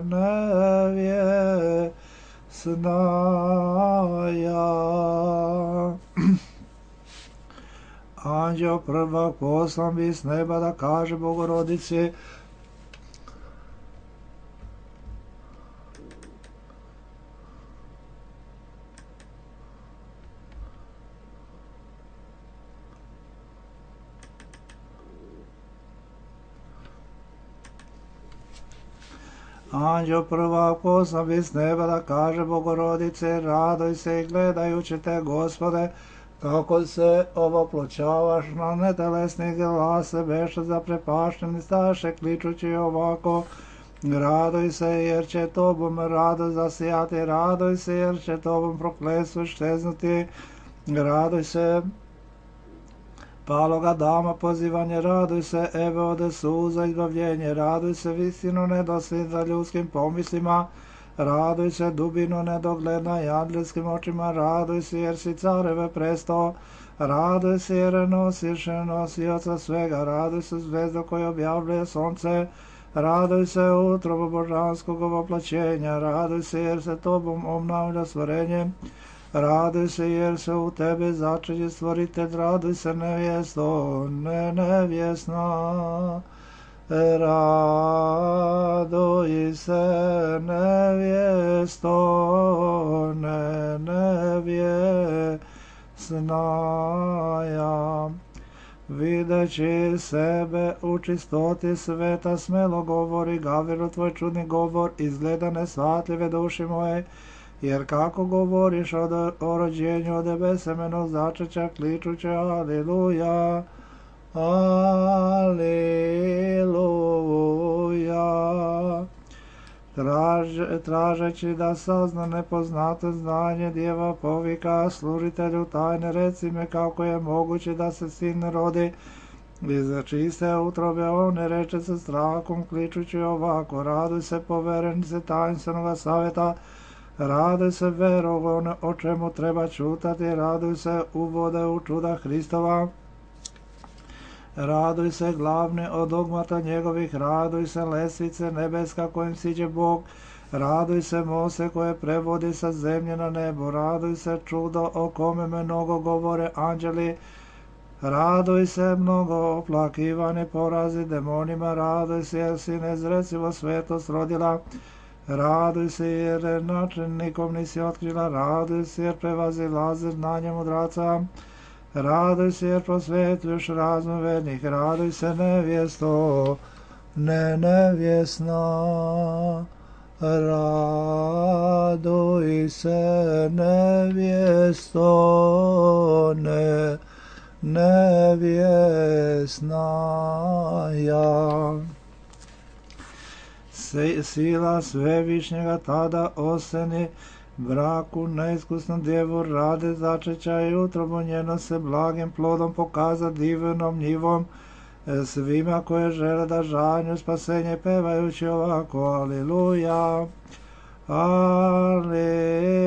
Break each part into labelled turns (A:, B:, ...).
A: nevjesnaja. Anđeo prvak poslan bi s neba da kaže Bogorodici: Anđeo prvak poslan bi s neba da kaže Bogorodice: radoj se i gledajući te, Gospode, kako se ovoploćavaš na netelesni glase, beše zaprepašteni staše, kličući ovako: radoj se jer će tobom radost zasijati, radoj se jer će tobom prokletstvo šteznuti, radoj se paloga dama pozivanje, raduj se Eve ode suza izbavljenje, raduj se visino nedosled za ljudskim pomislima, raduj se dubino nedogledna i anđelskim očima, raduj se jer si careve presto, raduj se jer nosiš nosioca svega, raduj se zvezda koja objavljuje sonce, raduj se utrobo božanskog ovoplaćenja, raduj se jer se tobom obnavlja stvorenje, raduj se jer se u tebe začeće stvoritelj, raduj se nevjesto, nevjesna, raduj se nevjesto, nevjesnaja. Videći sebe u čistoti sveta, smelo govori Gavrilo, tvoj čudni govor izgleda nesvatljive duši moje, jer kako govoriš o rođenju od besemenog začeća, kličuće aliluja, aliluja. Tražeći da sazna nepoznato znanje, djeva povika služitelju tajne, reci me kako je moguće da se sin rodi iz čiste utrobe. On ne reče sa strahom, kličući ovako: raduj se poverenice tajnstvenog savjeta, raduj se vero o čemu treba čutati, raduj se uvode u čuda Hristova, raduj se glavni od dogmata njegovih, raduj se lesvice nebeska kojim siđe Bog, raduj se mose koje prevodi sa zemlje na nebo, raduj se čudo o kome mnogo govore anđeli, raduj se mnogo oplakivani porazi demonima, raduj se jer si nezrecivo svetost rodila, raduj se jer načelnikom nisi otkrila, raduj se jer prevazilazi znanje mudraca, raduj se jer prosvetljuješ razum vernih, raduj se nevjesto, nevjesna, raduj se nevjesto, nevjesnaja. Sila svevišnjega tada oseni braku neiskusnom djevu rade začeća i utrobu njeno se blagim plodom pokaza divnom njivom svima koje žele da žanju spasenje, pevajući ovako: aliluja, aliluja.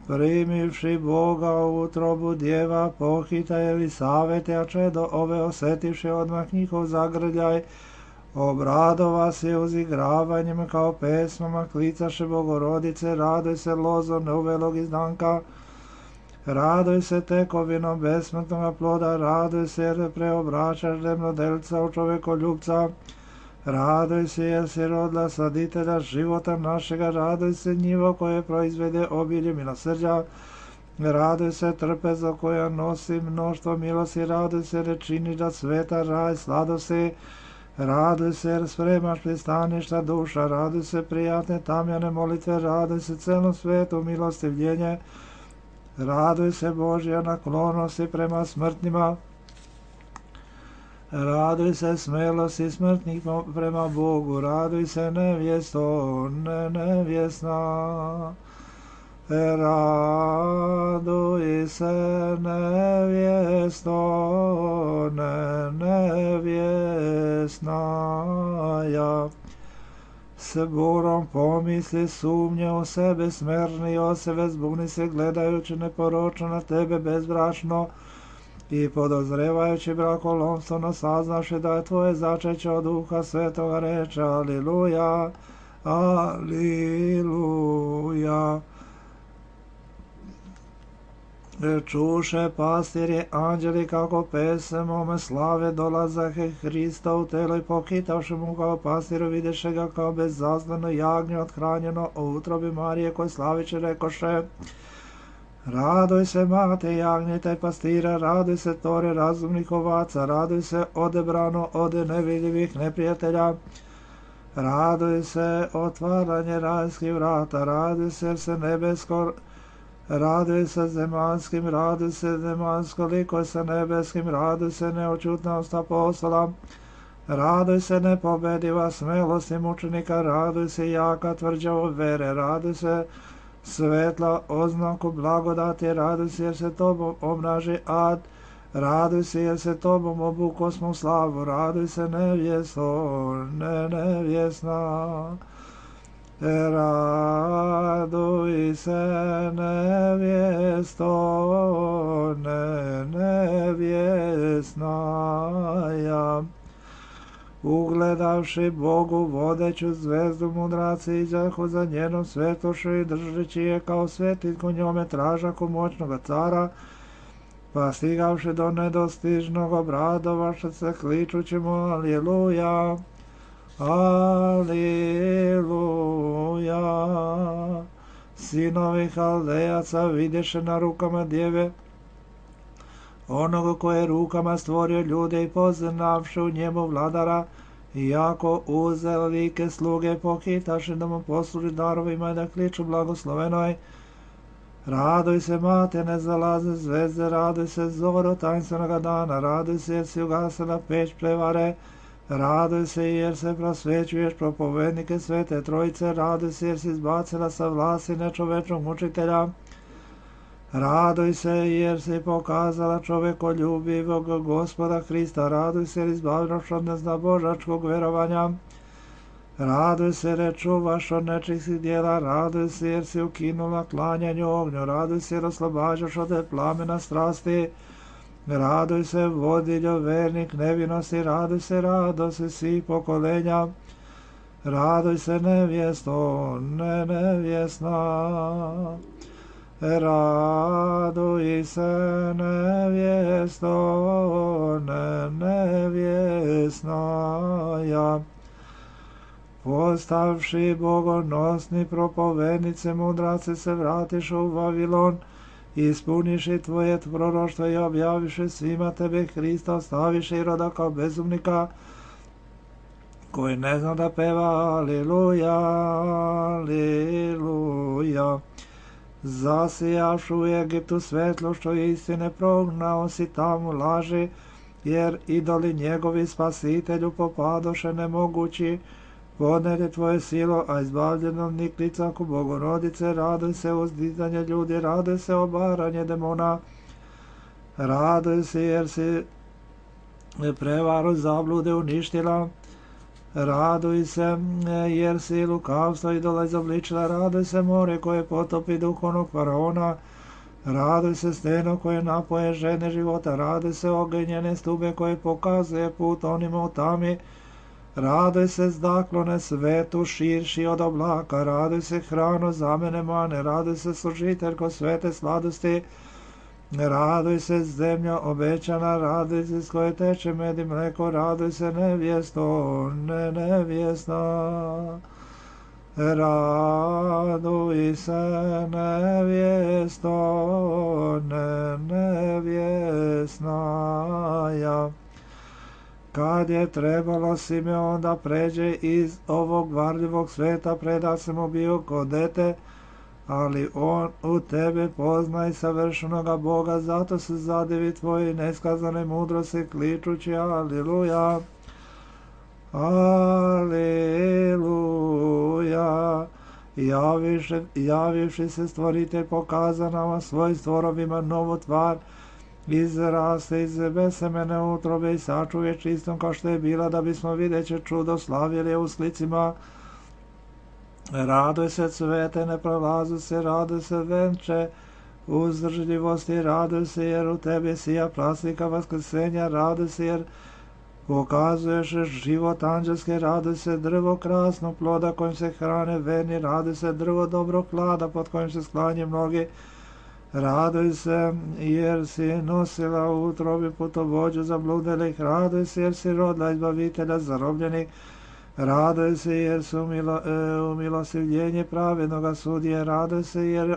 A: Primivši Boga u utrobu djeva pohita Elisavete, a čedo ove osetivši odmah njihov zagrljaj, obradova se uzigravanjem kao pesmama, klicaše Bogorodice, raduj se lozo neuvelog izdanka, raduj se tekovinom besmrtnog ploda, raduj se jer preobraćaš demnodelca u čovekoljubca, raduj se jer si rodila saditelja života našega, raduj se njivo koje proizvede obilje milosrđa, raduj se trpezo koja nosi mnoštvo milosti, raduj se jer činiš da sveta raj sladosti, raduj se jer spremaš pristaništa duša, raduj se prijatne tamjane molitve, raduj se celom svetu milostivljenje, raduj se Božja naklonosti prema smrtnima, raduj se smelosti smrtnih prema Bogu, raduj se nevjesto, nevjesna, raduj se nevjesto, nevjesnaja. S burom pomisli sumnje u sebe, smerni od sebe zbuni se gledajući neporočno na tebe bezbrašno, i podozrevajući brakolomstvo saznaše da je tvoje začeće od Duha Svetoga, reče aliluja, aliluja. Čuše pastirje anđeli kako pesemome slave dolazahe Hrista u telo i pokitavši mu kao pastiru videše ga kao bezazdano jagnje othranjeno u utrobi Marije koje slaviće rekoše: Raduj se mate jagnjeta i pastira, raduj se tore razumnih ovaca, raduj se odebrano ode nevidljivih neprijatelja, raduj se otvaranje rajskih vrata, raduj se jer se nebesko, raduj se zemanskim, raduj se zemansko liko sa nebeskim, raduj se neočutnost apostola, raduj se nepobediva smelost i mučenika, raduj se jaka tvrđava vere, raduj se svetla oznaku blagodati, raduj se jer se tobom obnaži ad, raduj se jer se tobom obukosmo slavu, raduj se nevjesto, nevjesna. Raduj se nevjesto, nevjesnaja. Ugledavši Bogu vodeću zvezdu, mudraci izahu za njenom svetošću i držeći je kao svetilku njome tražaku moćnoga cara, pa stigavši do nedostižnog obradovaše se kličući mu aliluja, aliluja. Sinovi Haldejaca vidješe na rukama djeve onoga koje je rukama stvorio ljude i poznavši u njemu vladara, iako uze like sluge pokitaše da mu posluži darovima i da kliču blagoslovenoj. Raduj se mate nezalazne zvezde, raduj se zoro tajinstvenoga dana, raduj se jer si ugasila peć prevare, raduj se jer se prosvećuješ propovednike Svete Trojice, raduj se jer si izbacila sa vlasti nečovečnog mučitelja, raduj se jer si pokazala čovekoljubivog Gospoda Hrista, raduj se jer izbavljaš od neznabožačkog verovanja, raduj se jer čuvaš od nečistih djela, raduj se jer si ukinula klanjanju ognju, raduj se jer oslobađaš od plamena strasti, raduj se vodiljo vernik nevinosti, raduj se radosti svih pokolenja, raduj se nevjesto, nevjesna. Raduj se nevjesto, nevjesnaja. Postavši bogonosni propovednice, mudraci se vratiš u Vavilon, ispuniši tvoje proroštvo i objaviše svima tebe Hrista, ostaviše i roda kao bezumnika, koji ne zna da peva aliluja, aliluja. Zasijaš u Egiptu svetlošću istine, prognao si tamo laži, jer idoli njegovi spasitelju popadoše nemogući, podnede tvoje silo, a izbavljenom niklicaku Bogorodice, raduj se uzdizanje ljudi, raduj se obaranje demona, raduj se jer si prevaru zablude uništila, raduj se jer si lukavstvo idola izobličila, raduj se more koje potopi duhovnog faraona, raduj se steno koje napoje žene života, raduj se ogenjene stube koje pokazuje put onima u tami, raduj se zdaklone svetu širši od oblaka, raduj se hranu za mene mane, raduj se služiteljko svete sladosti, raduj se zemlja obećana, raduj se s koje teče med i mleko, raduj se nevjesto, nevjesna. Raduj se nevjesto, nevjesnaja. Kad je trebalo Simeon da pređe iz ovog varljivog sveta, preda se mu bio kod dete, ali on u tebe pozna i savršenoga Boga, zato se zadivi tvoji neskazane mudrosti, kličući aliluja, aliluja. Javivši se stvoritelj pokaza nama svoj stvorovima novu tvar, izraste iz besemene utrobe i sačuje čistom kao što je bila, da bismo videće čudo slavili u sklicima. Raduj se cvete, ne prolazu se, raduj se venče, uzdržljivosti, raduj se jer u tebi sija praslika vaskrsenja, raduj se jer pokazuješ život anđelske, raduj se drvo krasnog ploda kojim se hrane verni, raduj se drvo dobrog klada pod kojim se sklanje mnogi, raduj se jer si nosila u utrobi putovođu zabludjelih, raduj se jer si rodila izbavitelja zarobljenih, raduj se jer su umilostivljenje pravednoga sudije, raduj se jer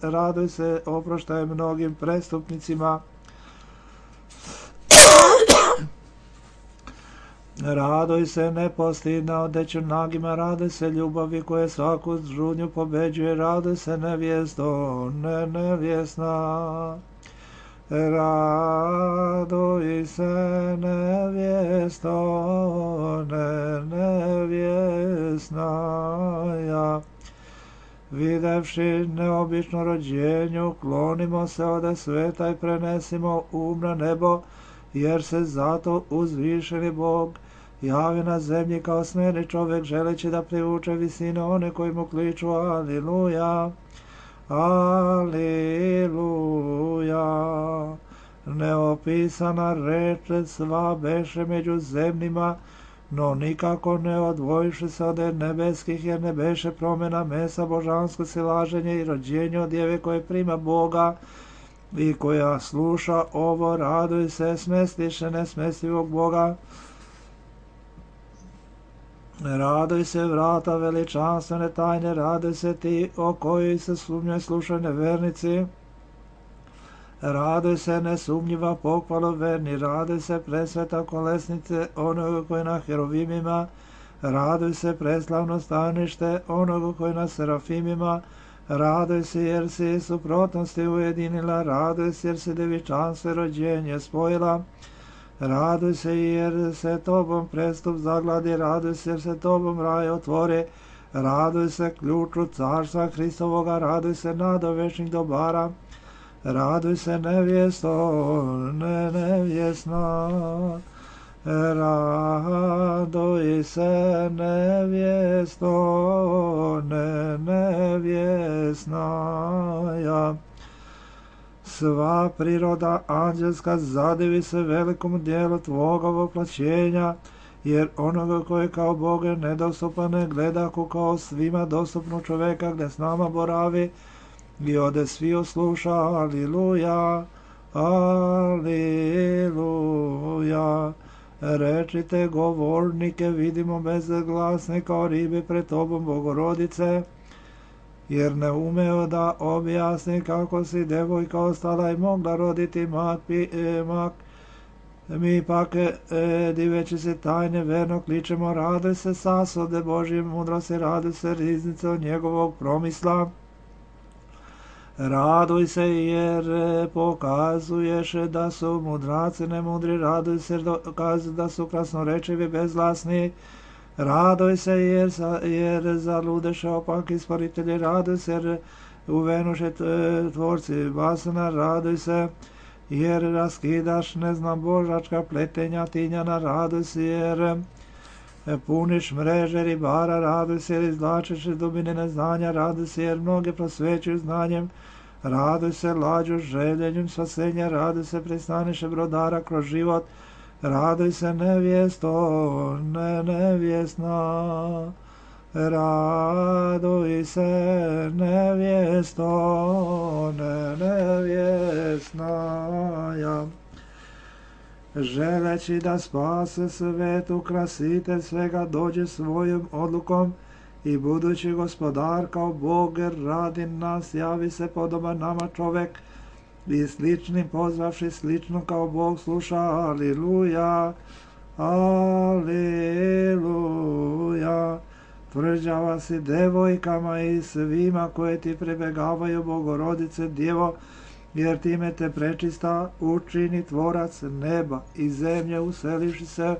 A: raduj se oproštaj mnogim prestupnicima, raduj se nepostidna odeću nagima, raduj se ljubavi koje svaku žudnju pobeđuje, raduj se nevjesto, nevjesna. Raduj se nevjesto, nevjesna. Videvši neobično rođenju, klonimo se ode sveta i prenesimo na nebo, jer se zato uzvišeni Bog javi na zemlji kao smjerni čovjek, želeći da privuče visine one koji mu kliču Aliluja, Aliluja. Neopisana reč sva beše među zemljima, no nikako ne odvojiše se od nebeskih, jer ne beše promjena mesa, božansko silaženje i rođenje od djeve koje prima Boga i koja sluša ovo, raduj se, smestiše nesmestivog Boga. Raduj se vrata veličanstvene tajne, raduj se ti o kojoj se sumnjoj slušaju nevernici. Raduj se nesumnjiva pohvala verni, raduj se presveta kolesnice onoga koji na herovimima, raduj se preslavno stanište onoga koji na serafimima, raduj se jer si suprotnosti ujedinila, raduj se jer si devičanstvo i rođenje spojila, raduj se jer se tobom prestup zagladi, raduj se jer se tobom raj otvori, raduj se ključu carstva Hristovoga, raduj se nadovečnih dobara, raduj se nevjesto, nevjesna, raduj se nevjesto, nevjesna. Sva priroda anđelska zadivi se velikom dijelu tvoga voplaćenja, jer onoga koji kao Boga nedostupan ne gleda kao svima dostupnu čoveka gdje s nama boravi i ode svi osluša. Aliluja, aliluja. Rečite govornike, vidimo bezglasne kao ribe pred tobom, Bogorodice, jer ne umeo da objasni kako si devojka ostala i mogla roditi mak. Mi pak, diveći se tajne, verno kličemo, raduj se sasode Božje mudrosti, raduj se riznice od njegovog promisla. Raduj se jer pokazuješ da su mudraci nemudri, raduj se jer dokazuju da su krasnorečivi bezglasni, raduj se jer zaludeše opaki stvoritelji, raduj se jer uvenuše tvorci basana, raduj se jer raskidaš božačka pletenja tinjana, raduj se jer puniš mreže ribara, raduj se jer izvlačiš iz dubine neznanja, raduj se jer mnoge prosvećuju znanjem, raduj se lađu željenjem spasenja, raduj se pristaniše brodara kroz život, raduj se nevjesto, nevjesna, raduj se nevjesto, nevjesna. Želeći da spase svet, ukrasitelj svega dođe svojom odlukom i budući gospodar kao Bog radi nas, javi se podoban nama čovek i sličnim pozvavši slično kao Bog sluša. Aliluja, aliluja. Tvrđava si devojkama i svima koje ti pribegavaju, Bogorodice Djevo, jer time te prečista učini tvorac neba i zemlje, uselivši se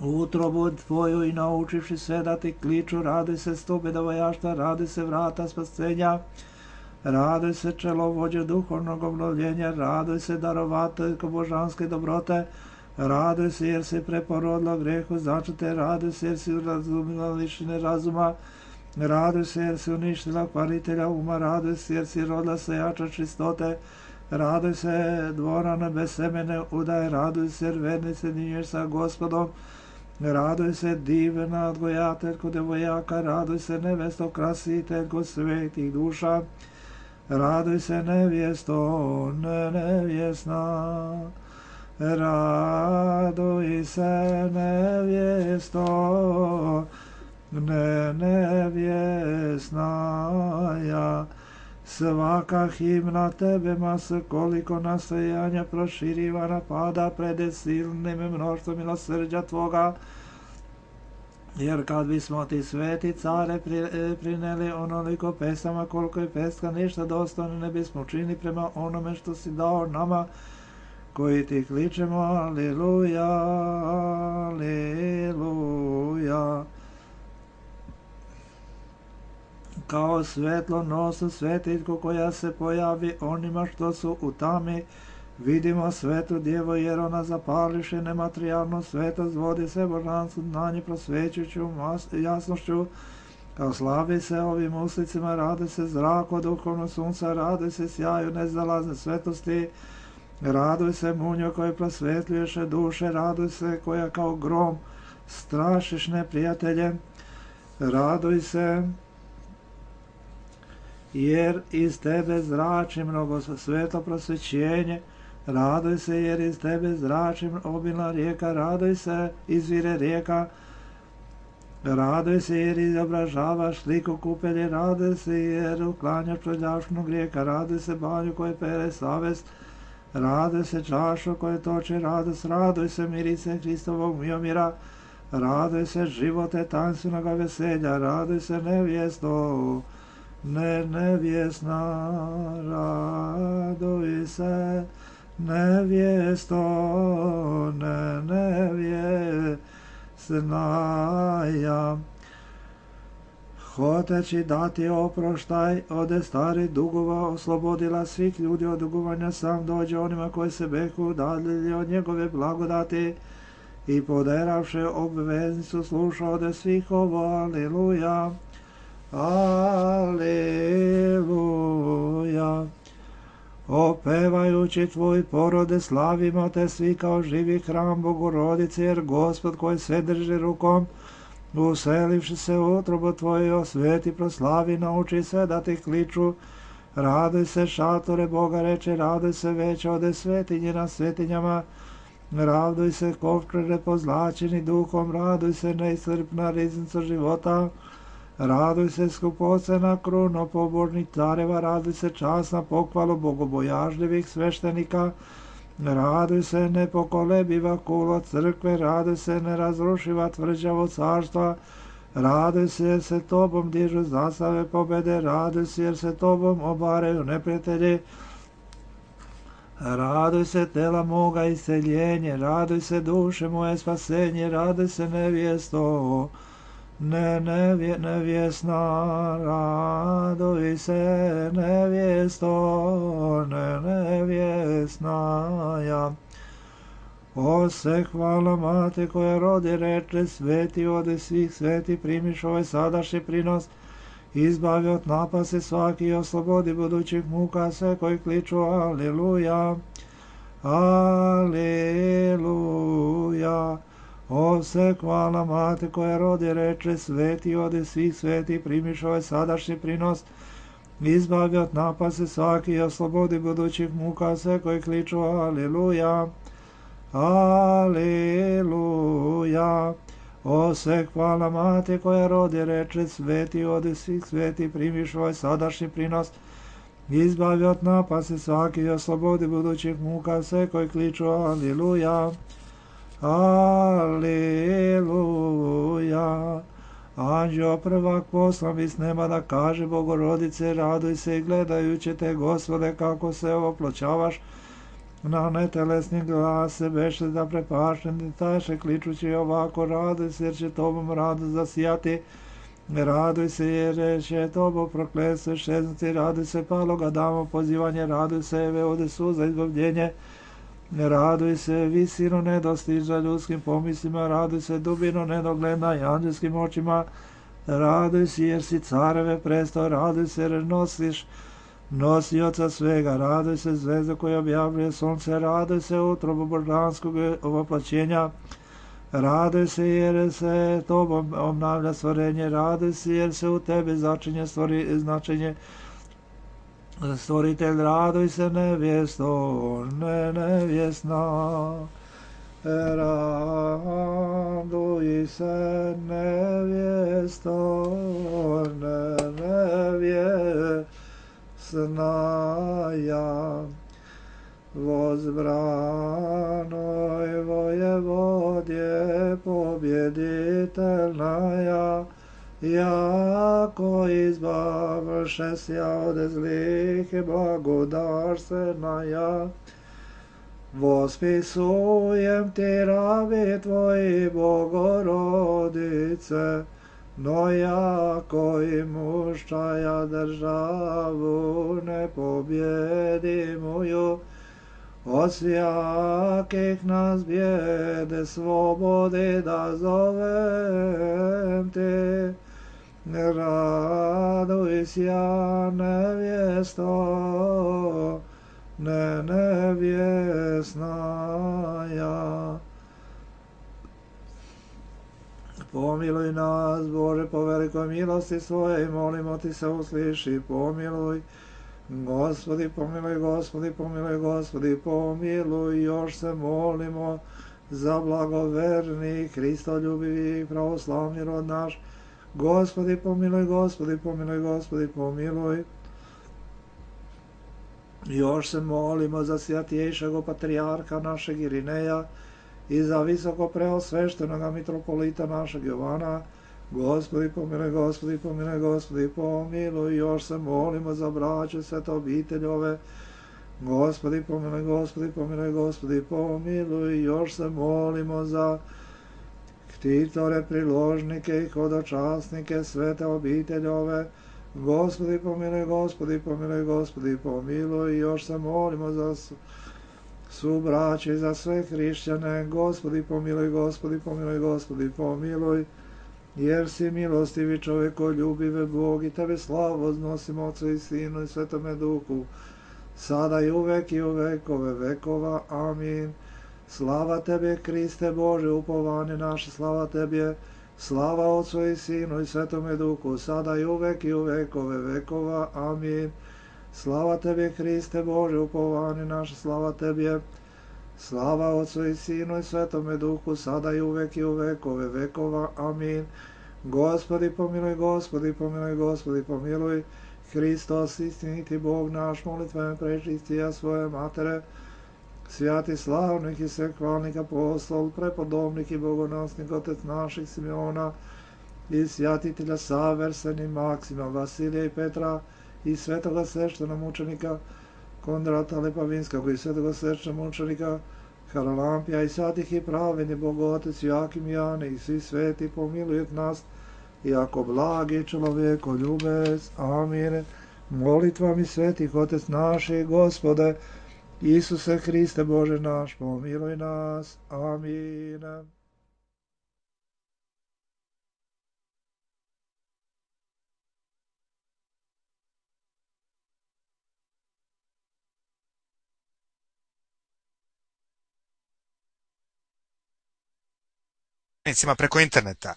A: u utrobu tvoju i naučivši sve da ti kliču. Raduj se stupe dovojaštva, raduj se vrata spasenja, raduj se čelovođe duhovnog obnovljenja, raduj se darovateljko božanske dobrote, raduj se jer si preporodila grehu začete, raduj se jer si razumila lišine razuma, Raduj se jer si uništila kvaritelja uma, raduj se jer si rodila sejača čistote, raduj se dvorana bez semene udaje, raduj se jer verni se dinješ sa Gospodom, raduj se divna odgojateljko devojaka, raduj se nevesto krasiteljko svetih duša, raduj se nevjesto nevjesna, raduj se nevjesto nevjesnaja. Svaka himna tebe masa koliko nastojanja proširivana pada pred silnim mnoštvom milosrđa tvoga, jer kad bismo ti sveti care prineli onoliko pesama koliko je peska ništa dostojno ne bismo učinili prema onome što si dao nama koji ti kličemo aleluja, aleluja. Kao svetlo nosu svetiljku koja se pojavi onima što su u tami, vidimo svetu djevo jer ona zapališe nematerijalnu svetost, vodi se božanstvu znanje prosvećujuću jasnošću, kao slavi se ovim uslicima, radi se zraku duhovnog sunca, radi se sjaju nezalazne svetosti, raduj se munjo koje prosvetljuješe duše, raduj se koja kao grom strašiš neprijatelje, raduj se jer iz tebe zrači mnogo svetlo prosvećenje, raduj se jer iz tebe zrači obilna rijeka, raduj se izvire rijeka, raduj se jer izobražavaš sliku kupelje, raduj se jer uklanjaš prljavšnog rijeka, raduj se banju koje pere savest, raduj se čašu koje toče radost, raduj se mirise Hristovog miomira, raduj se živote tanstvenoga veselja, raduj se nevjesto nevjesna, raduj se nevjesto nevjesnaja. Hoteći dati oproštaj ode starih dugova, oslobodila svih ljudi od dugovanja, sam dođe onima koji se beku udaljili od njegove blagodati i poderavše obveznicu sluša ode svih ovo, aleluja, aleluja. Opevajući tvoj porode slavimo te svi kao živi hram Bogorodice, jer Gospod koji sve drži rukom, uselivši se u utrobu tvoje, osveti proslavi, nauči sve da ti kliču, raduj se šatore Boga reče, raduj se veće ode svetinje na svetinjama, raduj se kovčere pozlačeni duhom, raduj se neiscrpna riznica života, raduj se skupocena kruno pobožnih careva, raduj se časna pohvalu bogobojažljivih sveštenika, raduj se nepokolebiva kulo crkve, raduj se nerazrušiva tvrđavo carstva, raduj se jer se tobom dižu zastave pobede, raduj se jer se tobom obaraju neprijatelji, raduj se tela moga isceljenje, raduj se duše moje spasenje, raduj se nevjesto nevjesna, raduj se nevjesto nevjesnaja. O se hvala mate koja rodi reče, sveti ode svih sveti, primiš ovaj sadašnji prinos, izbavi od napase svaki, oslobodi budućih muka sve koji kliču aleluja, aleluja. O se hvala mate koja rodi reče, sveti ode svih sveti, primiš ovaj sadašnji prinos, izbavi od napase svaki, oslobodi budućih muka sve koji kliču aleluja, aleluja. O se hvala mate koja rodi reče, sveti ode svih sveti, primiš ovaj sadašnji prinos, izbavi od napase svaki, oslobodi budućih muka sve koji kliču aleluja, aleluja. Anđeo prvak poslan iz neba da kaže Bogorodice, raduj se i gledajući te, Gospode, kako se oploćavaš na netelesni glas, se beše da prepašten taše, kličući ovako, raduj se jer će tobom radost zasijati, raduj se jer će tobo prokletstvo šeznuti, raduj se paloga damo pozivanje, raduj se eve ode suza izbavljenje, raduj se visino nedostiža ljudskim pomislima, raduj se dubino nedogledna i anđelskim očima, Raduj se jer si careve prestao, raduj se jer nosiš nosioca svega, raduj se zvezda koja objavljuje sunce, raduj se utrobu božanskog voplaćenja, raduj se jer se tobom obnavlja stvorenje, raduj se jer se u tebi začinje značenje stvoritelj, raduj se nevjesto, nevjesna. Raduj se nevjesto, nevjesnaja, возбранoj воеводje победительная, яко избавше ся od zlih i blagodarstveная. Восписуем ti раби Tvoji, Bogorodice, no jako i muščaja državu nepobjedimuju, od svjakih nas bijede slobodi da zovem ti. Raduj sja nevjesto, nevjesnaja. Pomiluj nas, Bože, po velikoj milosti svoje i molimo ti se usliši, pomiluj. Gospodi, pomiluj, Gospodi, pomiluj, Gospodi, pomiluj, još se molimo za blagoverni, Hristoljubivi, pravoslavni rod naš. Gospodi, pomiluj, Gospodi, pomiluj, Gospodi, pomiluj. Još se molimo za svjatjejšeg patrijarha našeg Irineja i za visoko preosveštenoga mitropolita našeg Jovana. Gospodi, pomiluj, Gospodi, pomiluj, Gospodi, pomiluj. Još se molimo za braću svete obiteljove. Gospodi, pomiluj, Gospodi, pomiluj, Gospodi, pomiluj. Još se molimo za ktitore, priložnike i hodočasnike svete obiteljove. Gospodi, pomiluj, Gospodi, pomiluj, Gospodi, pomiluj. Još se molimo za subraće i za sve hrišćane. Gospodi, pomiluj, Gospodi, pomiluj, Gospodi, pomiluj. Jer si milostivi čovjekoljubive Bog i tebe slavu odnosimo Otcu i Sinu i Svetome Duhu, sada i uvek i u vekove vekova. Amin. Slava tebe, Kriste Bože, upovanje naše, slava tebe, slava Otcu i Sinu i Svetome Duhu, sada i uvek vekove vekova. Amin. Slava tebe, Hriste Bože, upovanje naše, slava tebe, slava Otcu i Sinu i Svetome Duhu, sada i uvek vekove vekova. Amin. Gospodi, pomiluj, Gospodi, pomiluj, Gospodi, pomiluj. Hristos, istiniti Bog naš, molitvama prečistija svoje matere, svjati slavnih i svehvalnih apostol, prepodobnih i bogonosnih otec naših Simeona i svjatitelja savršenih Maksima, Vasilija i Petra i svetoga sveštenomučenika Kondrata Lepavinskog i svetoga sveštenomučenika Haralampija i svatih i pravedni Bogotec Jakim Jane i svi sveti pomilujet nas, jako blagi čovjekoljubec. Amin. Molitvami svetih otec naših, Gospode, Isuse Hriste Bože naš, pomiluj nas. Amin.
B: Preko interneta,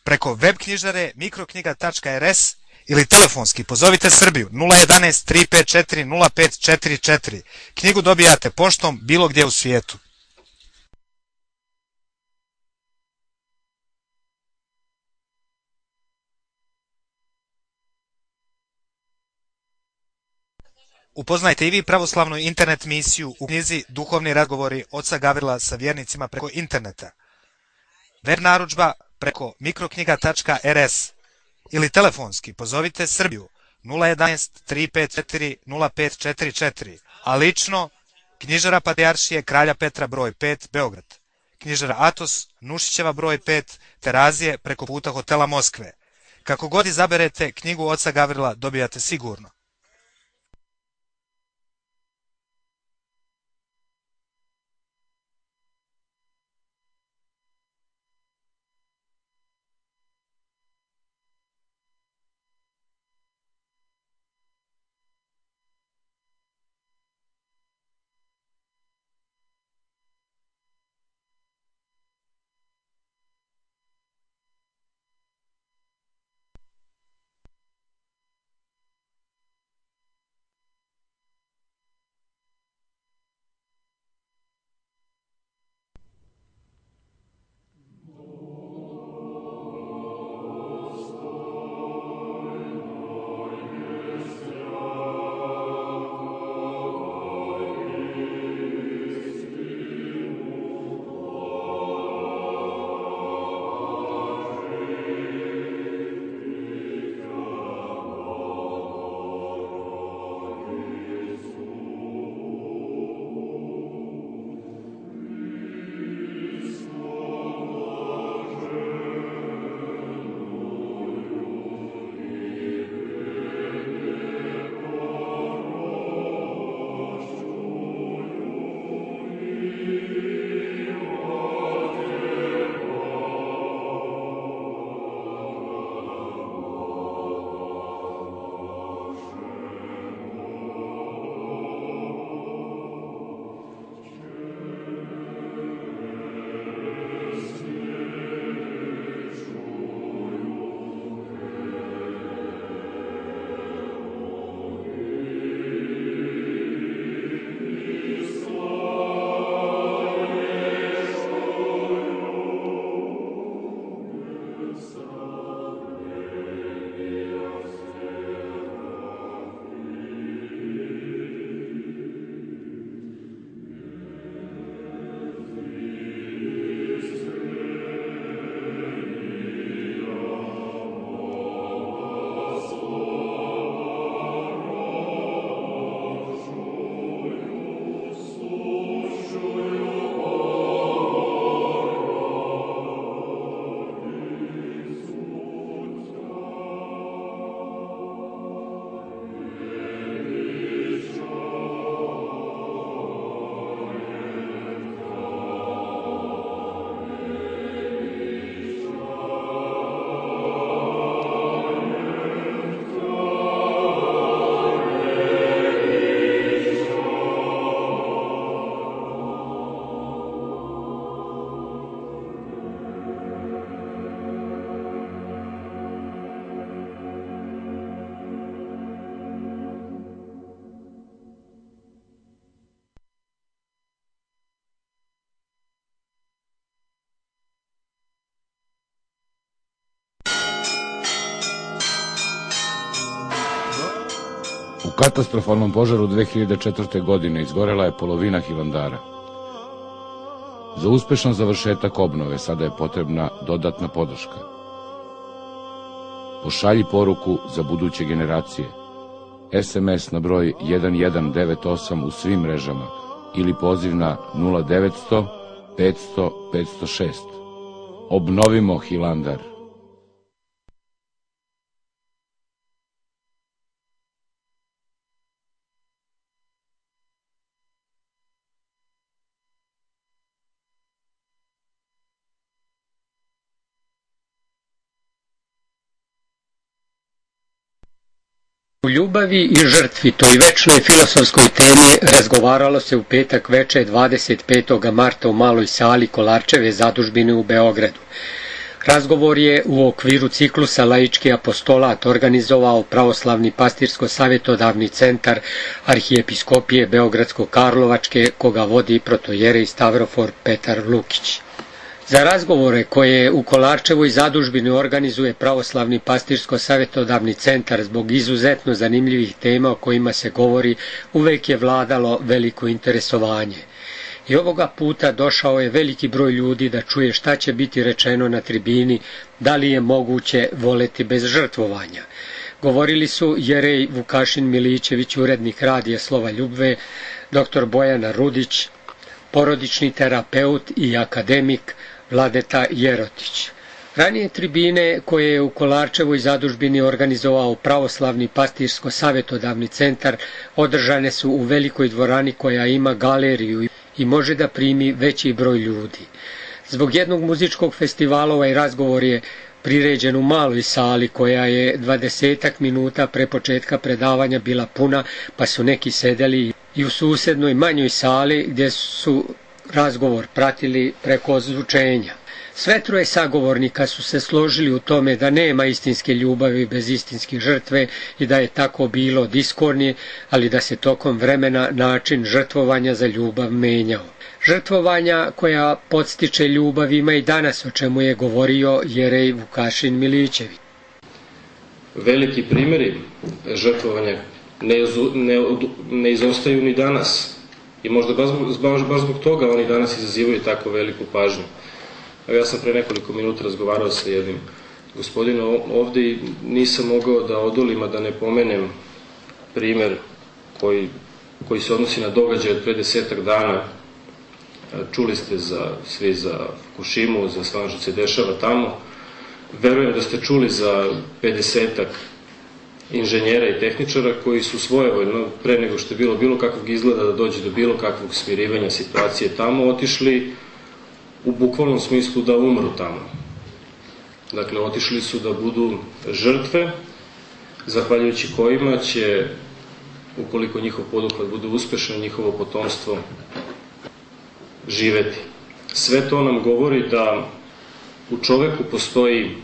B: preko web knjižare mikroknjiga.rs ili telefonski pozovite Srbiju 011 354 0544. Knjigu dobijate poštom bilo gdje u svijetu. Upoznajte i vi pravoslavnu internet misiju u knjizi Duhovni razgovori oca Gavrila sa vjernicima preko interneta. Web narudžba preko mikroknjiga.rs ili telefonski pozovite Srbiju 011 354 0544, a lično knjižara Patrijaršije Kralja Petra broj 5 Beograd, knjižara Atos Nušićeva broj 5 Terazije preko puta hotela Moskve. Kako god izaberete knjigu oca Gavrila dobijate sigurno.
C: katastrofalnom požaru 2004. godine izgorela je polovina Hilandara. Za uspešan završetak obnove sada je potrebna dodatna podrška. Pošalji poruku za buduće generacije. SMS na broj 1198 u svim mrežama ili poziv na 0900 500 506. Obnovimo Hilandar.
D: U ljubavi i žrtvi, toj večnoj filosofskoj temi, razgovaralo se u petak veče 25. marta u maloj sali Kolarčeve zadužbine u Beogradu. Razgovor je u okviru ciklusa Laički apostolat organizovao Pravoslavni pastirsko-savjetodavni centar Arhijepiskopije Beogradsko-Karlovačke, koga vodi protojerej Stavrofor Petar Lukić. Za razgovore koje u Kolarčevoj zadužbini organizuje Pravoslavni pastirsko-savjetodavni centar zbog izuzetno zanimljivih tema o kojima se govori, uvek je vladalo veliko interesovanje. I ovoga puta došao je veliki broj ljudi da čuje šta će biti rečeno na tribini, da li je moguće voleti bez žrtvovanja. Govorili su jerej Vukašin Milićević, urednik radija Slova Ljubve, dr. Bojana Rudić, porodični terapeut i akademik Vladeta Jerotić. Ranije tribine koje je u Kolarčevoj zadužbini organizovao Pravoslavni pastirsko-savjetodavni centar održane su u velikoj dvorani koja ima galeriju i može da primi veći broj ljudi. Zbog jednog muzičkog festivala ovaj razgovor je priređen u maloj sali koja je 20 minuta pre početka predavanja bila puna, pa su neki sedeli i u susednoj manjoj sali gdje su razgovor pratili preko ozvučenja. Sve troje sagovornika su se složili u tome da nema istinske ljubavi bez istinske žrtve i da je tako bilo diskornije, ali da se tokom vremena način žrtvovanja za ljubav menjao. Žrtvovanja koja podstiče ljubav ima i danas, o čemu je govorio jerej Vukašin Milićević.
E: Veliki primjeri žrtvovanja ne izostaju ni danas i možda baš zbog toga oni danas izazivaju tako veliku pažnju. Ja sam pre nekoliko minuta razgovarao sa jednim gospodinom ovde i nisam mogao da odolim, a da ne pomenem primer koji se odnosi na događaj od pre 10 dana. Čuli ste svi za Fukushimu, za sve ono što se dešava tamo. Verujem da ste čuli za 50 inženjera i tehničara koji su svojevoljno, pre nego što je bilo kakvog izgleda da dođe do bilo kakvog smirivanja situacije tamo, otišli u bukvalnom smislu da umru tamo. Dakle, otišli su da budu žrtve, zahvaljujući kojima će, ukoliko njihov poduhvat bude uspešan, njihovo potomstvo živeti. Sve to nam govori da u čoveku postoji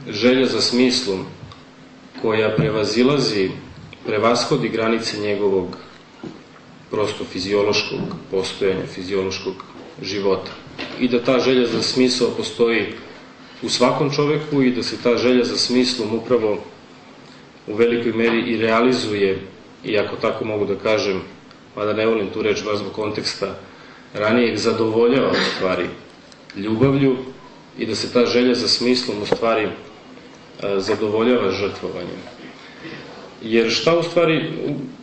E: želja za smislom koja prevashodi granice njegovog prosto fiziološkog postojanja, fiziološkog života. I da ta želja za smisao postoji u svakom čoveku i da se ta želja za smislom upravo u velikoj meri i realizuje, i ako tako mogu da kažem, mada ne volim tu reč baš zbog konteksta, ranijeg zadovoljava u stvari ljubavlju i da se ta želja za smislom u stvari zadovoljava žrtvovanjem. Jer šta u stvari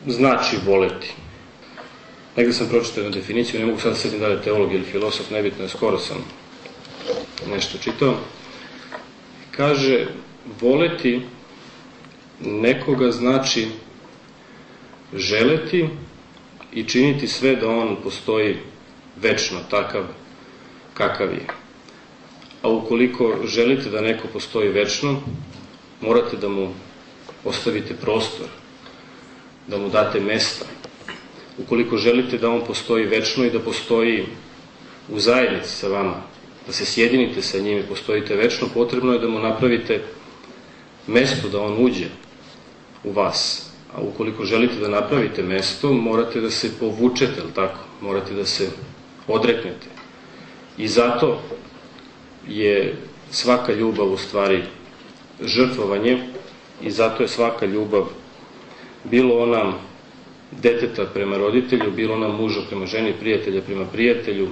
E: znači voleti? Negde sam pročitao jednu definiciju, ne mogu sad da sedim da li je teolog ili filosof, nebitno je, skoro sam nešto čitao. Kaže, voleti nekoga znači želeti i činiti sve da on postoji večno, takav kakav je. A ukoliko želite da neko postoji večno, morate da mu ostavite prostor, da mu date mesta. Ukoliko želite da on postoji večno i da postoji u zajednici sa vama, da se sjedinite sa njim i postojite večno, potrebno je da mu napravite mesto da on uđe u vas. A ukoliko želite da napravite mesto, morate da se povučete, ali tako? Morate da se odreknete. I zato je svaka ljubav u stvari žrtvovanje i zato je svaka ljubav bilo ona deteta prema roditelju, bilo ona muža prema ženi, prijatelja prema prijatelju,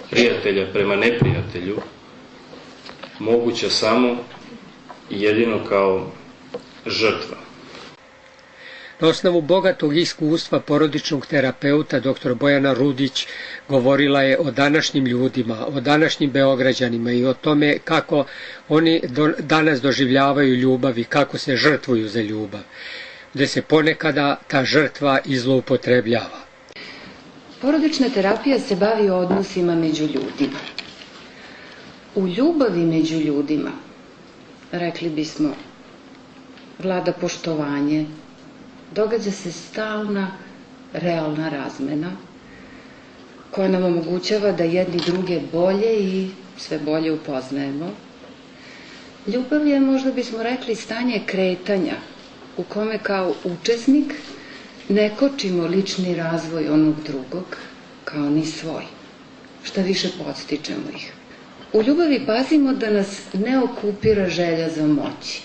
E: prijatelja prema neprijatelju, moguća samo i jedino kao žrtva.
D: Na osnovu bogatog iskustva porodičnog terapeuta dr. Bojana Rudić govorila je o današnjim ljudima, o današnjim Beograđanima i o tome kako oni danas doživljavaju ljubav i kako se žrtvuju za ljubav, gde se ponekada ta žrtva i zloupotrebljava.
F: Porodična terapija se bavi odnosima među ljudima. U ljubavi među ljudima, rekli bismo, vlada poštovanje, događa se stalna, realna razmena koja nam omogućava da jedni druge bolje i sve bolje upoznajemo. Ljubav je, možda bismo rekli, stanje kretanja u kome kao učesnik ne kočimo lični razvoj onog drugog kao ni svoj. Šta više, podstičemo ih. U ljubavi pazimo da nas ne okupira želja za moći.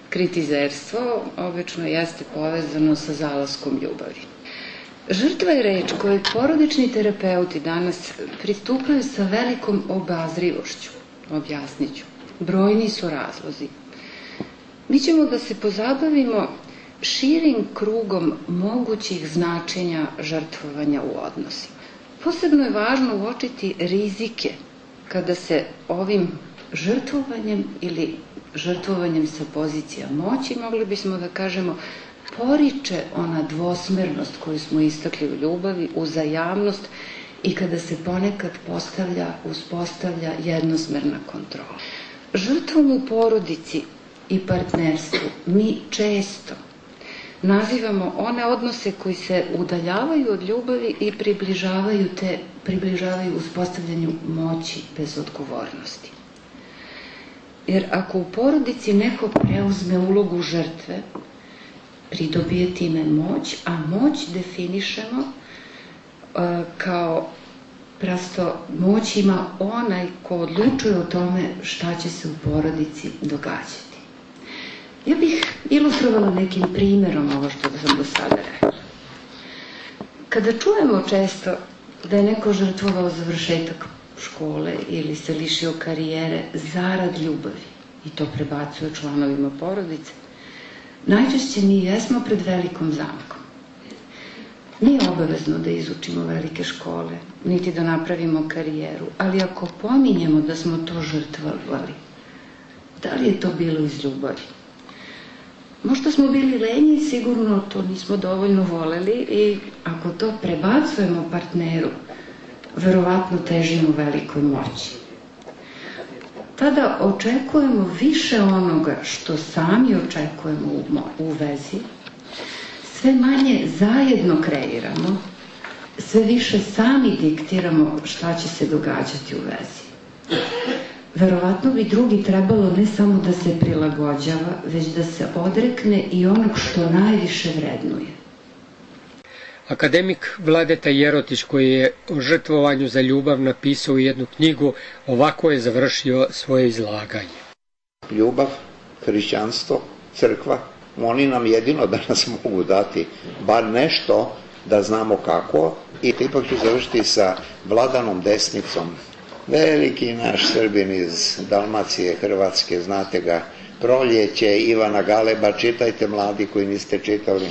F: Kritizerstvo obično jeste povezano sa zalaskom ljubavi. Žrtva je reč kojoj porodični terapeuti danas pristupaju sa velikom obazrivošću. Objasnit ću. Brojni su razlozi. Mi ćemo da se pozabavimo širim krugom mogućih značenja žrtvovanja u odnosima. Posebno je važno uočiti rizike kada se ovim žrtvovanjem ili žrtvovanjem sa pozicija moći, mogli bismo da kažemo, poriče ona dvosmernost koju smo istakli u ljubavi, uzajamnost i kada se ponekad uspostavlja jednosmerna kontrola. Žrtvom u porodici i partnerstvu mi često nazivamo one odnose koji se udaljavaju od ljubavi i približavaju uspostavljanju moći bez odgovornosti. Jer ako u porodici neko preuzme ulogu žrtve, pridobije time moć, a moć definišemo kao prosto moć ima onaj ko odlučuje o tome šta će se u porodici događati. Ja bih ilustrovala nekim primjerom ovo što sam do sada rekla. Kada čujemo često da je neko žrtvovao završetak škole ili se lišio karijere zarad ljubavi i to prebacuje članovima porodice, najčešće mi jesmo pred velikom zamkom. Nije obavezno da izučimo velike škole, niti da napravimo karijeru, ali ako pominjemo da smo to žrtvovali, da li je to bilo iz ljubavi? Možda smo bili lenji i sigurno to nismo dovoljno voleli i ako to prebacujemo partneru, verovatno težimo velikoj moći. Tada očekujemo više onoga što sami očekujemo u vezi, sve manje zajedno kreiramo, sve više sami diktiramo šta će se događati u vezi. Verovatno bi drugi trebalo ne samo da se prilagođava, već da se odrekne i onog što najviše vrednuje.
D: Akademik Vladeta Jerotić, koji je o žrtvovanju za ljubav napisao jednu knjigu, ovako je završio svoje izlaganje.
G: Ljubav, hrišćanstvo, crkva, oni nam jedino danas mogu dati bar nešto da znamo kako. I ipak ću završiti sa Vladanom Desnicom. Veliki naš Srbin iz Dalmacije, Hrvatske, znate ga, Proljeće, Ivana Galeba, čitajte mladi koji niste čitali.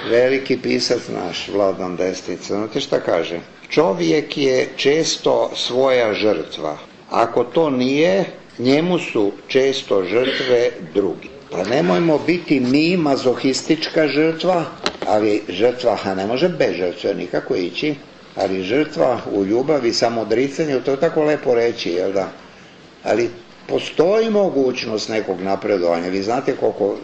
G: Veliki pisac naš, Vladan Desnica, znate šta kaže? Čovjek je često svoja žrtva. Ako to nije, njemu su često žrtve drugi. Pa nemojmo biti mi mazohistička žrtva, ali žrtva, ne može bez žrtve nikako ići, ali žrtva u ljubavi, samodricanju, to je tako lepo reći, jel da? Ali postoji mogućnost nekog napredovanja. Vi znate koliko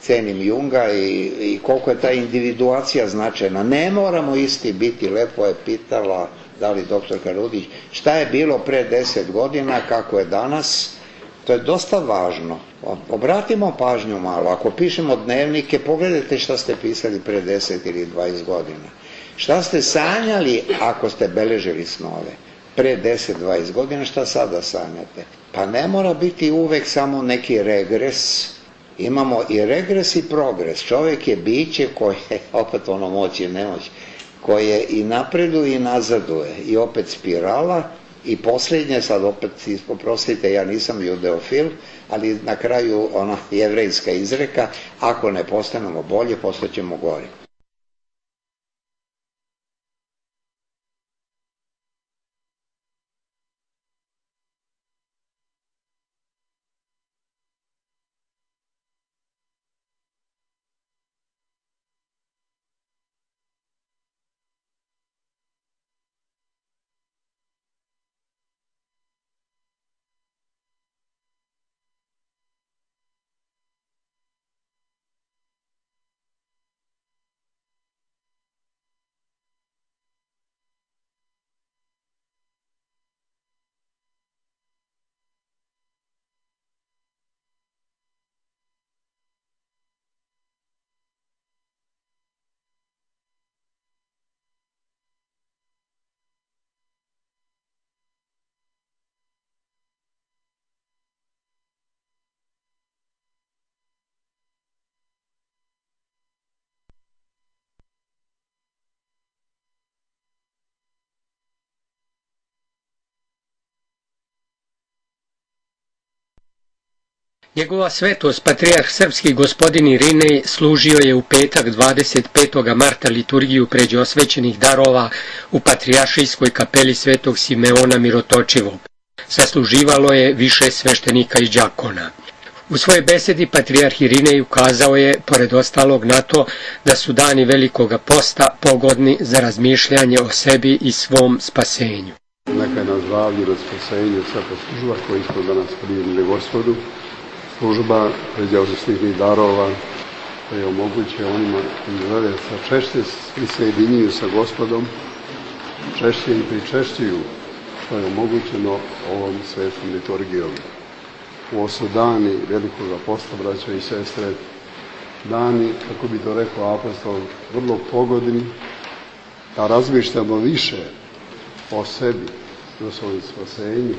G: cenim Junga i koliko je ta individuacija značajna. Ne moramo isti biti, lepo je pitala, da li doktorka Rudić, šta je bilo pre 10 godina, kako je danas. To je dosta važno. Obratimo pažnju malo. Ako pišemo dnevnike, pogledajte šta ste pisali pre 10 ili 20 godina. Šta ste sanjali ako ste beležili snove? Pre 10-20 godina šta sada sanjate? Pa ne mora biti uvek samo neki regres Imamo i regres i progres. Čovjek je biće koje, opet ono moć i nemoć, koje i napreduje i nazaduje i opet spirala i posljednje, sad opet oprostite, ja nisam judeofil, ali na kraju ona jevrejska izreka, ako ne postanemo bolje, postaćemo gori.
D: Njegova svetost, patrijarh srpski gospodin Irinej, služio je u petak 25. marta liturgiju pređe osvećenih darova u patrijaršijskoj kapeli svetog Simeona Mirotočivog. Sasluživalo je više sveštenika i đakona. U svojoj besedi patrijarh Irinej ukazao je, pored ostalog, na to da su dani Velikoga posta pogodni za razmišljanje o sebi i svom spasenju.
H: Neka je na zdravlju, na spasenju svaka služba koju smo danas primili Gospodu, služba pređaosnih darova koje omoguće onima koji žele sa češće i sjedinjuju sa Gospodom, češće i pričešćuju, što je omogućeno ovom svetom liturgijom. Ovo su dani Velikoga posta, braćo i sestre, dani, kako bi to rekao apostol, vrlo pogodni, da razmišljamo više o sebi, o svojim spasenju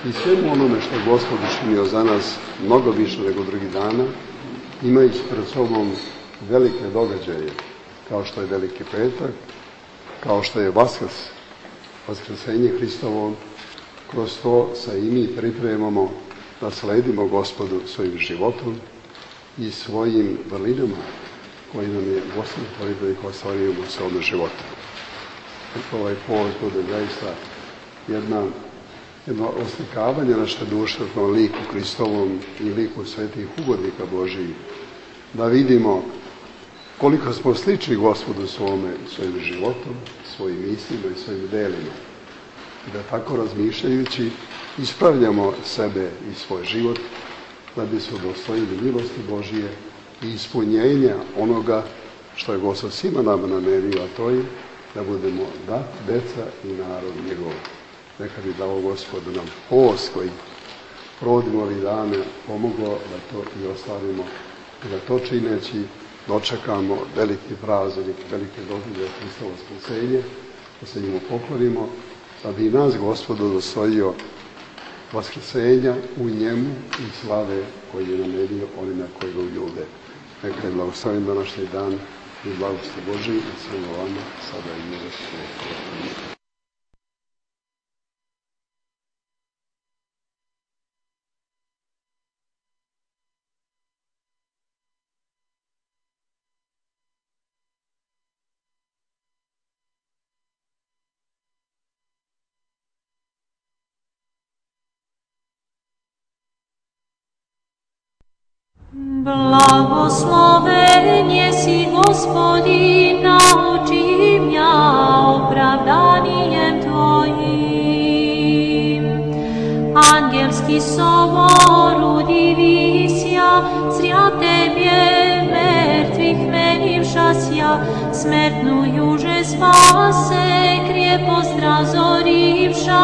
H: i svemu onome što je Gospod učinio za nas mnogo više nego drugih dana, imajući pred sobom velike događaje, kao što je Veliki petak, kao što je Vaskrs, Vaskrsenje Hristovo. Kroz to se i mi pripremamo da sledimo Gospodu svojim životom i svojim vrlinama koji nam je Gospod poredao i koje stvarujemo u svome životu. Ovaj povod bude zaista jedno oslikavanje naše duše na liku Hristovom i liku svetih ugodnika Božijih, da vidimo koliko smo slični Gospodu svojim životom, svojim mislima i svojim delima. I da tako razmišljajući ispravljamo sebe i svoj život da bi se udostojili milosti Božije i ispunjenja onoga što je Gospod svima nama namerio, a to je da budemo deca i narod njegov. Neka bi dao Gospodu nam post koji provodimo ovih dana pomoglo da to i ostvarimo i da to čineći dočekamo veliki praznik, velike događaje Hristovo spasenje, da se njemu poklonimo, da bi nas Gospod udostojio vaskrsenja u njemu i slave koji je namerio onima koji ga ljube. Neka je blagoslovljen današnji dan i blagosti Božiji i svema vama, sada i u vijek.
I: Blagosloven jesi Gospodin, nauči mja opravdanijem Tvojim. Angelski sobor udivisja, zrja Tebje mrtvih menivšasja, smrtnu juže spase, krijepost razorivša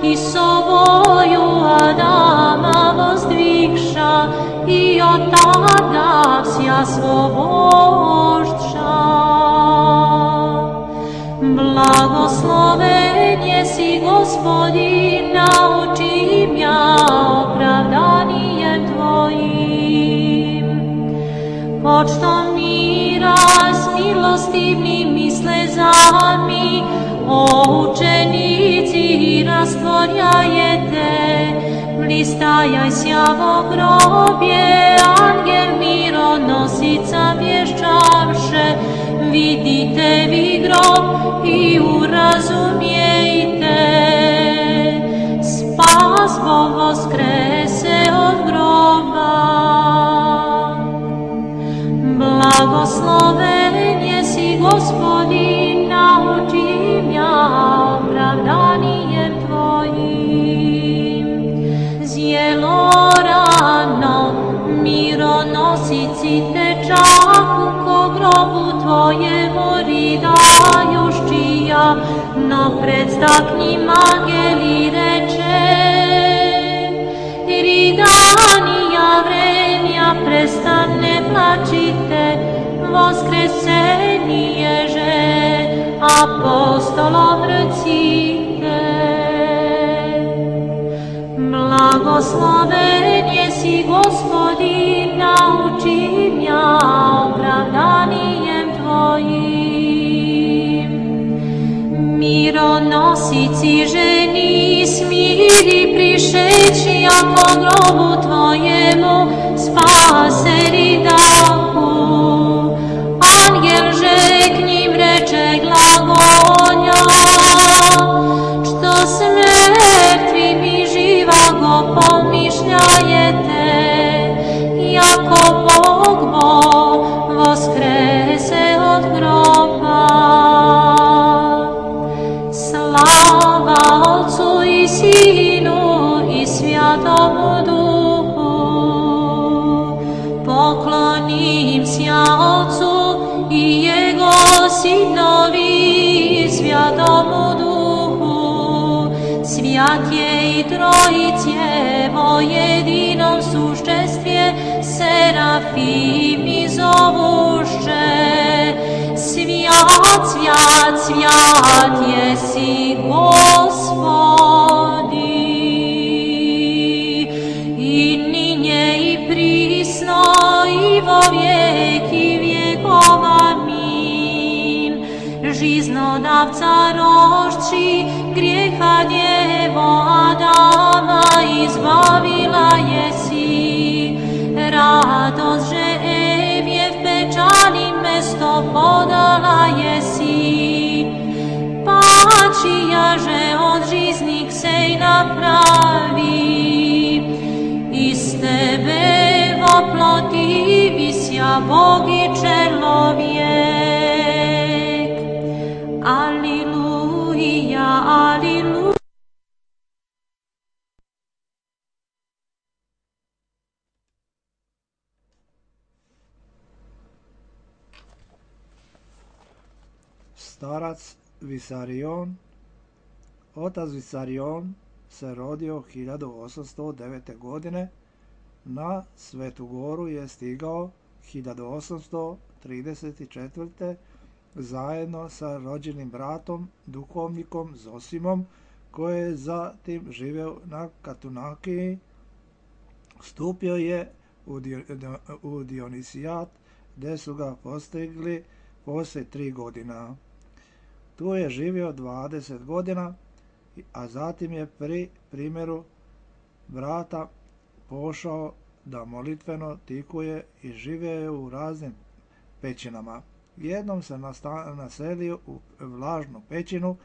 I: i soboju Adama vozdvigša, i od tada vsja svoboždša. Blagosloven jesi Gospodin, nauči mja opravdanijem Tvojim. počtom mira s milostivnim i slezami, o učenici rastvorjajete, blistajaj sjavo grobje, angel mironosica vješćavše, vidite vi grob i urazumijte, spas Bog voskrese od groba. Blagosloven jesi Gospodin, naučim ja opravdanijem Tvojim. Zjelo rano, mironosici tečaku, ko grobu Tvojemu ridajuščija, no predstaknim angeli reče, ridanija vremja prestane plačite, voskresenije že apostolom recite. Blagosloven jesi Gospodin, naučim ja opravdanijem Tvojim. Mironosici ženi smiri prišeći, ako grobu Tvojemu spase ridahu. Angel že k njim reče glagolja, što s mrtvim i živago pomišljajete, jako Bog voskrese od groba. Slava Otcu i Sinu i Svjatomu Duhu, poklonim sja Otcu i Jego Sinovi i Svjatomu Duhu, svjat je i Trojice jedinom sušćestvje, serafim i zovušće, svjat, svjat, svjat jesi Gospodi, i ninje i prisno i vo vijeki vjekov, amin. Žiznodavca rošči, grijeha djevo Adama izbavila jesi, radost že Evjev pečalim mesto podala jesi, pačija že od žiznih sej napravi, iz tebe voploti visja Bog i čelovjek. Aliluja, aliluja.
A: Starac Visarion. Otac Visarion se rodio 1809. godine. Na Svetu Goru je stigao 1834. zajedno sa rođenim bratom, duhovnikom Zosimom, koji je zatim živeo na Katunakiji. Stupio je u Dionisijat, gdje su ga postigli poslije 3 godina. Tu je živio 20 godina, a zatim je pri primjeru brata pošao da molitveno tikuje i živio je u raznim pećinama. Jednom se naselio u vlažnu pećinu,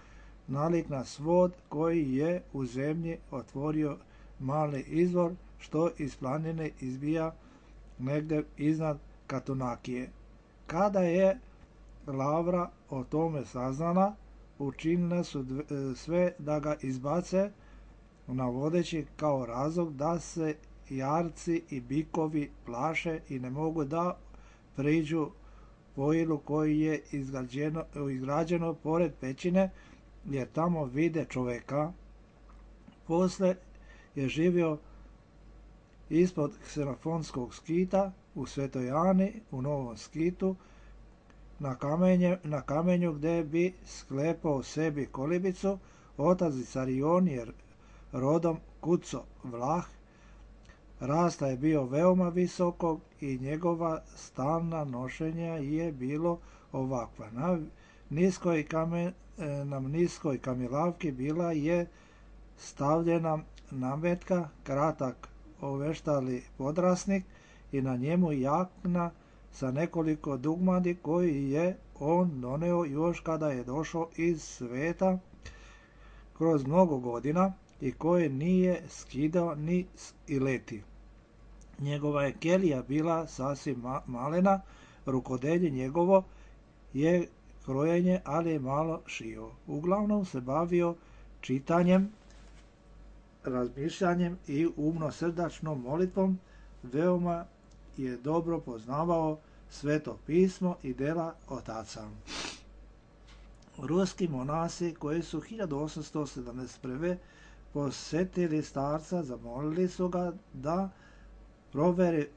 A: nalik na svod koji je u zemlji otvorio mali izvor, što iz planine izbija negdje iznad Katunakije. Kada je Lavra o tome saznala, učinile su sve da ga izbace, navodeći kao razlog da se jarci i bikovi plaše i ne mogu da priđu pojilu koji je izgrađeno pored pećine, jer tamo vide čoveka. Posle je živio ispod Ksenofonskog skita u Svetoj Ani, u Novom Skitu, na kamenju gdje bi sklepao sebi kolibicu. Otac Visarion je rodom Kuco Vlah, rasta je bio veoma visokog i njegova stalna nošenja je bilo ovakva. Na niskoj kamilavki bila je stavljena nametka, kratak oveštali podrasnik i na njemu jakna sa nekoliko dugmadi koji je on doneo još kada je došao iz sveta kroz mnogo godina i koje nije skidao ni ileti. Njegova je kelija bila sasvim malena, rukodelje njegovo je krojenje, ali je malo šio. Uglavnom se bavio čitanjem, razmišljanjem i umno-srdačnom molitvom, veoma je dobro poznavao Sveto pismo i dela otaca. Ruski monasi koji su 1871. posetili starca, zamolili su ga da proveri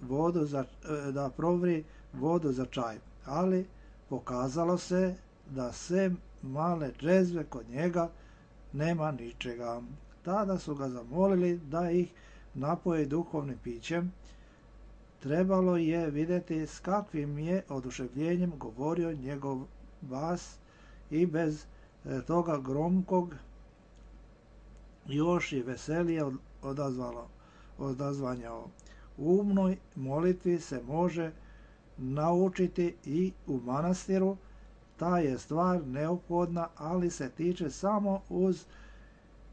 A: vodu za čaj, ali pokazalo se da sem male džezve kod njega nema ničega. Tada su ga zamolili da ih napoji duhovnim pićem. Trebalo je vidjeti s kakvim je oduševljenjem govorio njegov bas i bez toga gromkog još i veselije odazvanjao. U umnoj molitvi se može naučiti i u manastiru. Ta je stvar neophodna, ali se tiče samo uz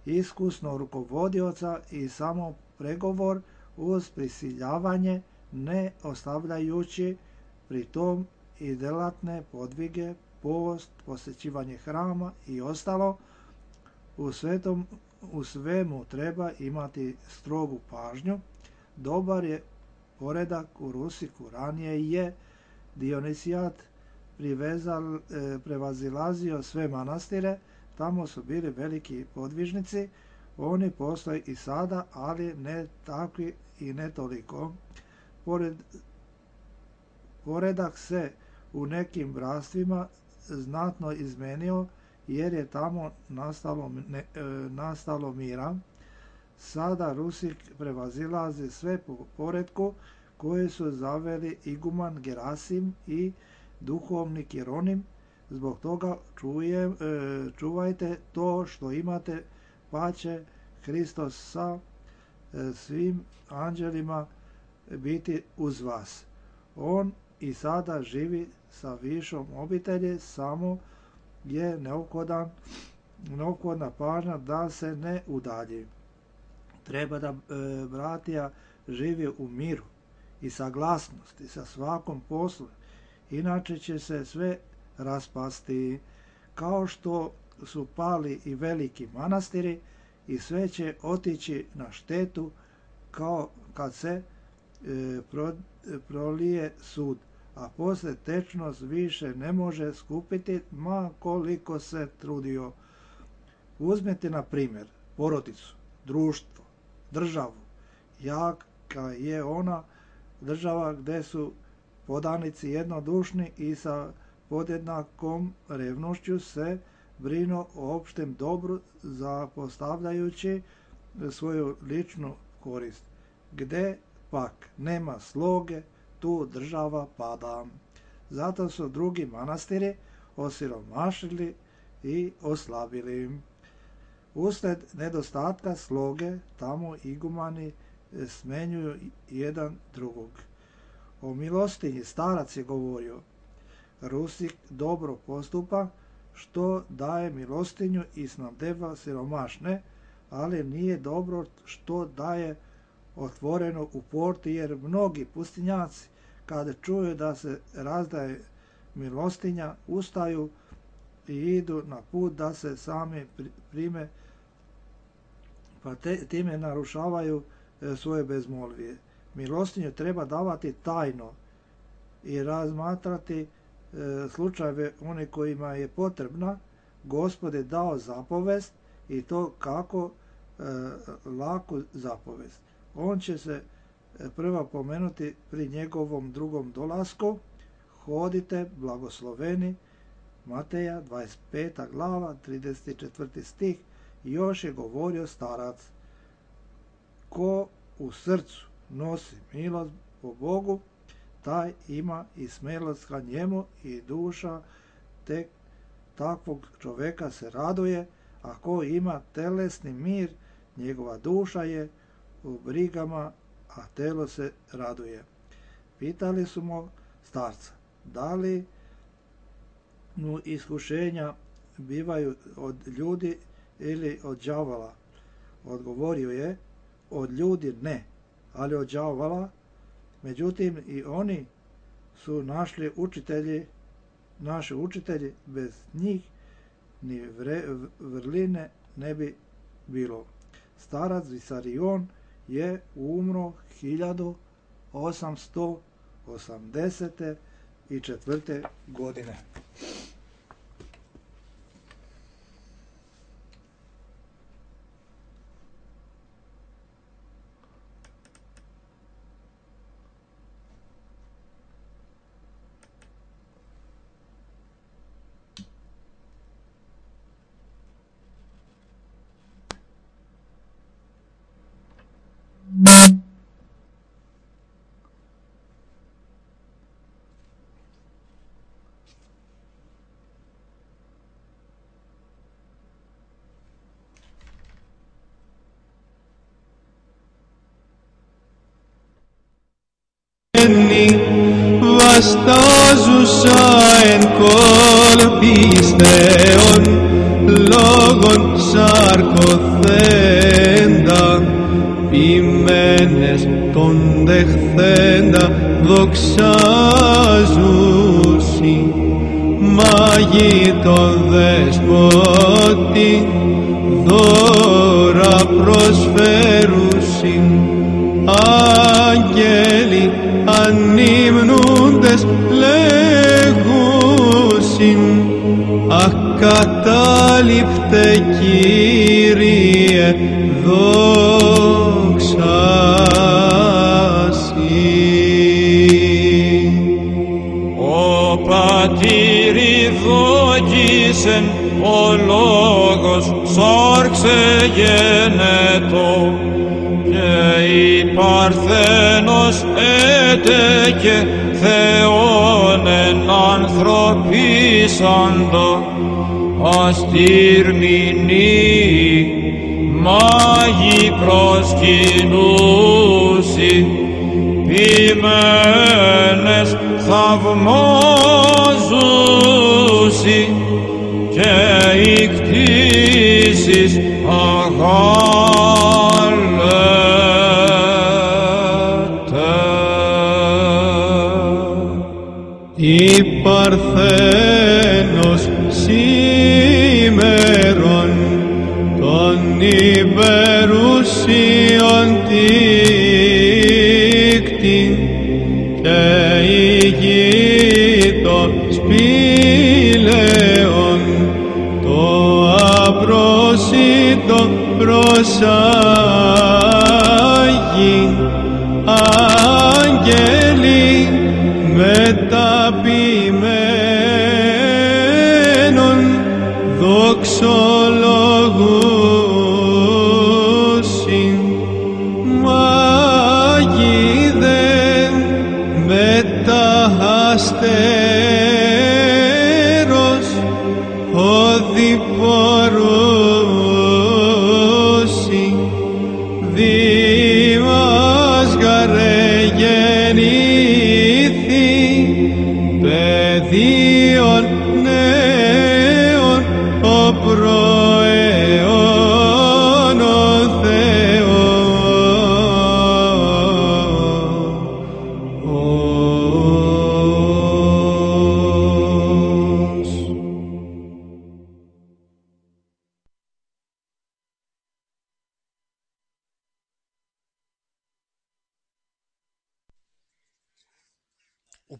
A: iskusno rukovodioca i samo pregovor uz prisiljavanje, ne ostavljajući pri tom i delatne podvige, post, posjećivanje hrama i ostalo. U svemu treba imati strogu pažnju. Dobar je poredak u Rusiku. Ranije je Dionisijat prevazilazio sve manastire, tamo su bili veliki podvižnici, oni postoje i sada, ali ne takvi i ne toliko. Poredak se u nekim bratstvima znatno izmenio, jer je tamo nastalo mira. Sada Rusik prevazilazi sve po poretku koje su zaveli iguman Gerasim i duhovnik Jeronim. Zbog toga čuvajte to što imate, pa će Hristos sa svim anđelima biti uz vas. On i sada živi sa višom obitelji, samo je neophodna pažnja da se ne udalji. Treba da bratija živi u miru i saglasnosti sa svakom poslu, inače će se sve raspasti, kao što su pali i veliki manastiri, i sve će otići na štetu kao kad se prolije sud, a posle tečnost više ne može skupiti, ma koliko se trudio. Uzmite na primjer porodicu, društvo, državu. Jaka je ona država gde su podanici jednodušni i sa podjednakom revnošću se brinu o opštem dobru, zapostavljajući svoju ličnu korist. Gde pak nema sloge, tu država pada. Zato su drugi manastiri osiromašili i oslabili. Usled nedostatka sloge tamo igumani smenjuju jedan drugog. O milostinji starac je govorio: Rusik dobro postupa što daje milostinju i snabdeva siromašne, ali nije dobro što daje otvoreno u porti, jer mnogi pustinjaci kada čuju da se razdaje milostinja ustaju i idu na put da se sami prime, pa time narušavaju svoje bezmolvije. Milostinju treba davati tajno i razmatrati slučajeve oni kojima je potrebna. Gospod je dao zapovest, i to kako laku zapovest. On će se prva pomenuti pri njegovom drugom dolasku. Hodite blagosloveni, Mateja 25. glava 34. stih. Još je govorio starac: ko u srcu nosi milost po Bogu, taj ima i smelost ka njemu i duša tek takvog čoveka se raduje, a ko ima telesni mir, njegova duša je u brigama, a telo se raduje. Pitali su mu starca, da li mu iskušenja bivaju od ljudi ili od đavola. Odgovorio je, od ljudi ne, ali od đavola. Međutim, i oni su naši učitelji, bez njih ni vrline ne bi bilo. Starac Visarion je umro 1884. godine.
J: Βαστάζουσα εν κολπίστεων λόγων σαρκοθέντα ποιμένες τον δεχθέντα δοξάζουσι μάγι το δεσπότη δώρα προσφέρουσι άγγελοι ανύμνουντες λέγουσιν ακατάληπτε Κύριε δόξα Συ.
K: Ο πατήρι δόκισεν ο λόγος σάρξε γενετό και η Παρθένος έτεκε Θεόν εν ανθρωπίσαντο αστήρμηνοι μάγοι προσκυνούσι ποιμένες θαυμάζουσι και οι κτήσεις
J: η Παρθένος σήμερον των υπερουσίων τύκτη και η γη των σπήλαιων το απρόσιτο προσάγει άγγελοι μεταποιημένων δοξολογούσιν μάγοι δεν μεταχαστέρος οδηπορούσιν δήμας γαρε γεννήθη παιδίον νέων ο προαιών ο Θεός.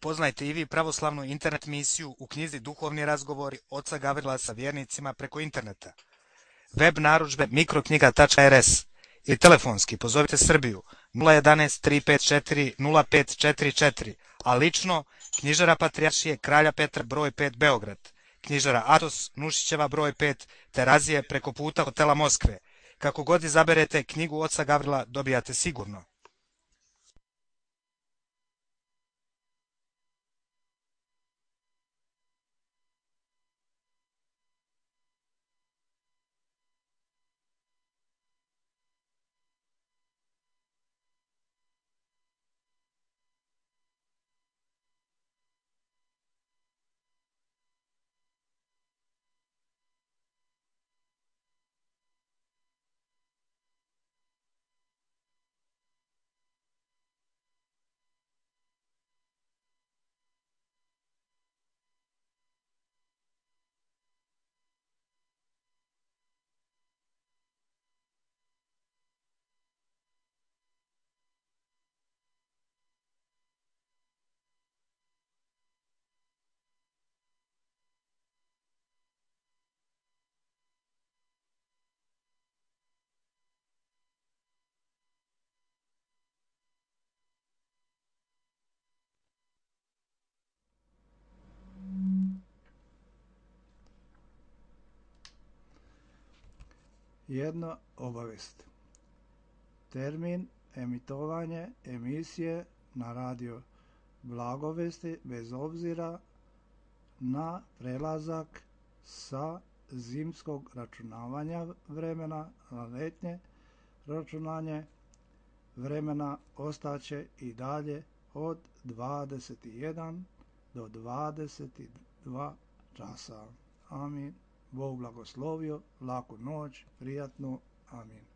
B: Upoznajte i vi pravoslavnu internet misiju u knjizi Duhovni razgovori oca Gavrila sa vjernicima preko interneta. Web narudžbe mikroknjiga.rs ili telefonski pozovite Srbiju 011 354 0544, a lično knjižara Patrijaršije Kralja Petra broj 5 Beograd, knjižara Atos Nušićeva broj 5 Terazije preko puta hotela Moskve. Kako god izaberete knjigu oca Gavrila dobijate sigurno.
A: Jedna obavest. Termin emitovanje emisije na radio Blagovesti bez obzira na prelazak sa zimskog računavanja vremena na letnje računanje vremena ostaće i dalje od 21 do 22 časa. Amin. Bog blagoslovio, laku noć, prijatnu. Amin.